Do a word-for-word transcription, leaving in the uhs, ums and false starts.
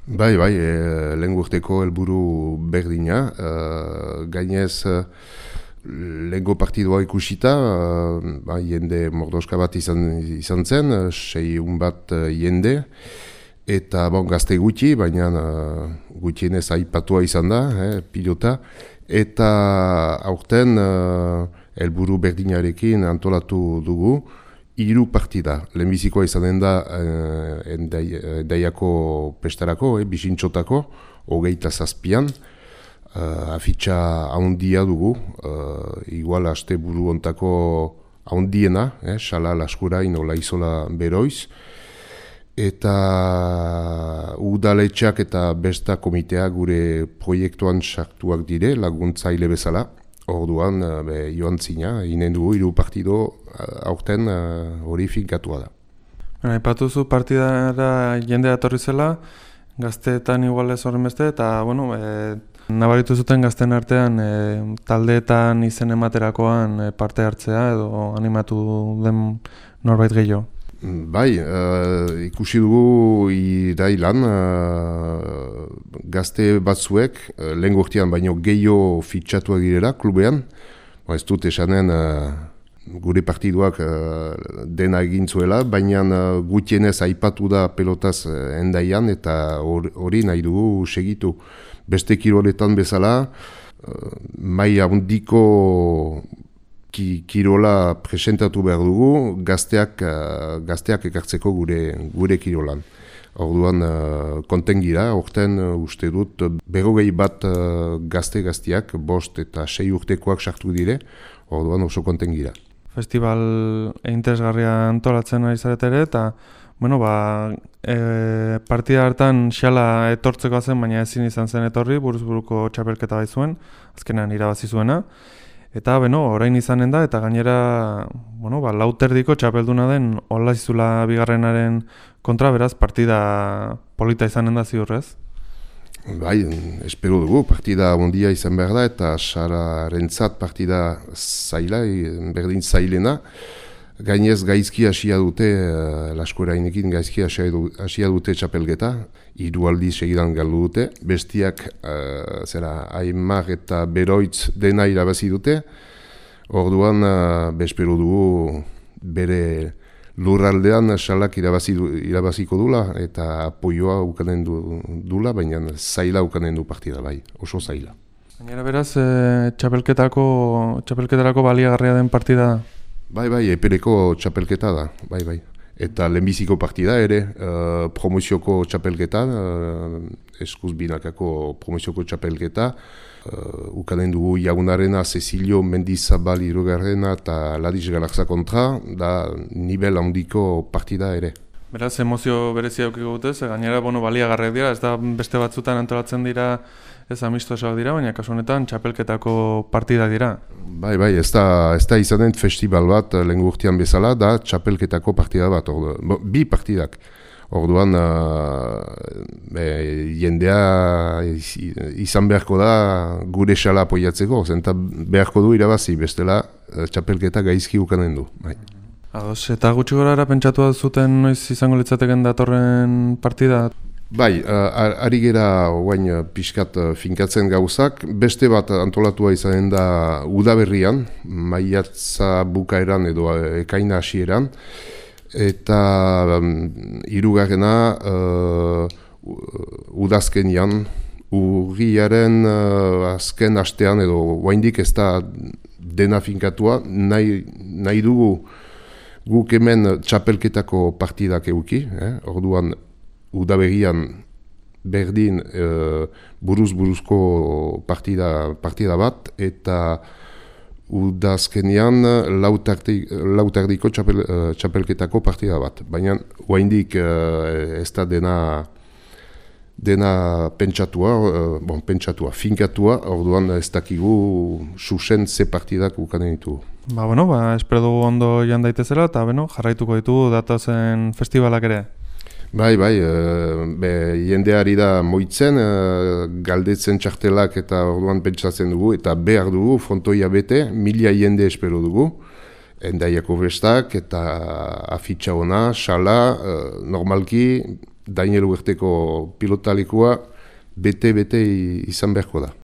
Bai, bai, e, lehen urteko helburu berdina. E, gainez, e, lehengo partidua ikusita, e, ba, jende mordoska bat izan, izan zen, e, seiehun bat e, jende, eta bon, gazte gutxi, baina e, gutxienez aipatua izan da, e, pilota, eta aurten e, helburu berdinarekin antolatu dugu, hiru partida. Lehenbizikoa izanen da eh, endaiako pestarako, eh, bisintxotako, hogeita zazpian. Eh, afitxa haundia dugu, eh, igual aste buru ontako haundiena, eh, Sala, Laskurain, Ola Izola, Beroiz. Eta udaletxak eta besta komitea gure proiektuan sartuak dire, laguntzaile bezala. Orduan, be, joan zina, inen dugu, hiru partido aurten hori uh, finkatua da. Aipatuzu partidara jendea etorri zela, gazteetan igual ez horren beste, eta bueno, e, nabaritu zuten gazten artean e, taldeetan izen ematerakoan e, parte hartzea edo animatu den norbait gehiago. Bai, uh, ikusi dugu irailan uh, gazte batzuek, uh, lehen urtean baino gehiago fitxatuak direla klubean. Ba, ez dut esanen uh, gure partiduak uh, dena egin zuela, baina uh, gutienez aipatu da pelotaz uh, endaian eta hori nahi dugu segitu. Beste kiroletan bezala, uh, mai handiko Ki, kirola presentatu behar dugu, gazteak, uh, gazteak ekartzeko gure, gure kirolan. Orduan, uh, konten gira, orten uh, uste dut, berrogei bat uh, gazte-gazteak, bost eta sei urtekoak sartu dire, orduan oso konten gira. Festival interesgarria antolatzen ari zarete ere, eta bueno, ba, e, partida hartan xala etortzeko zen, baina ezin izan zen etorri, buruz-buruko txapelketa bai zuen, azkenean irabazi zuena. Eta, beno, orain izanen da, eta gainera, bueno, ba, lauterdiko txapelduna den Olaizula bigarrenaren kontra, beraz, partida polita izanen da ziurrez? Bai, espero dugu, partida ondia izan behar da, eta Sararentzat partida zaila, berdin zailena. Gainez gaizki hasia dute, uh, Laskoerainekin gaizki hasia dute txapelgeta, hiru aldiz segidan galdu dute, bestiak uh, zera Aimar eta Beroitz dena irabazi dute, orduan uh, bespero dugu bere lurraldean Salak irabazi du, irabaziko dula eta apoioa ukanen du, dula, baina zaila ukanen du partida bai, oso zaila. Gainera beraz, e, txapelketako, txapelketarako baliagarria den partida. Bai, bai, epereko txapelketa da, bai, bai. Eta lehenbiziko partida ere, uh, promozioko txapelketa, uh, eskuz binakako promozioko txapelketa, uh, ukanen dugu Jagunarena, Cecilio Mendizabal irugarrena eta Ladiz Galarza kontra, da nivel handiko partida ere. Beraz, emozio berezia aukiko dute, ze gainera bueno, baliagarriak dira, ez da beste batzutan antolatzen dira, ez amistosoak dira, baina kasu honetan txapelketako partida dira. Bai, bai, ez da, ez da izanen festival bat lehen urtean bezala, da txapelketako partida bat, ordu, bo, bi partidak. Orduan, uh, be, jendea izan beharko da gure xala apoiatzeko, zenta beharko du irabazi, bestela txapelketa gaizki ukanen du. Bai. Ados, eta gutxi gorara pentsatu zuten noiz izango litzateken datorren partida? Bai, uh, ari gera oain pixkat uh, finkatzen gauzak, beste bat antolatua izanen da udaberrian, maiatza bukaeran edo ekaina hasieran, eta um, hirugarrena uh, udazkenian, urriaren uh, azken hastean edo oaindik ez da dena finkatua, nahi, nahi dugu guk hemen txapelketako partidak euki, eh? Orduan udaberrian berdin uh, buruz-buruzko partida, partida bat, eta udazkenean lautardiko txapel, uh, txapelketako partida bat. Baina oraindik uh, ez da dena, dena pentsatua, uh, bon, pentsatua, finkatua, orduan ez dakigu susen ze partidak ukanen ditu. Ba, bueno, ba, espero dugu ondo joan daitezela, eta bueno, jarraituko ditugu datozen festivalak ere. Bai, bai, e, be, jendeari da moitzen, e, galdetzen txartelak eta orduan pentsatzen dugu, eta behar dugu, frontoia bete, mila jende espero dugu, endaiako bestak eta afitxa ona, xala, e, normalki, Daniel Huerteko pilotalekua bete-bete izan beharko da.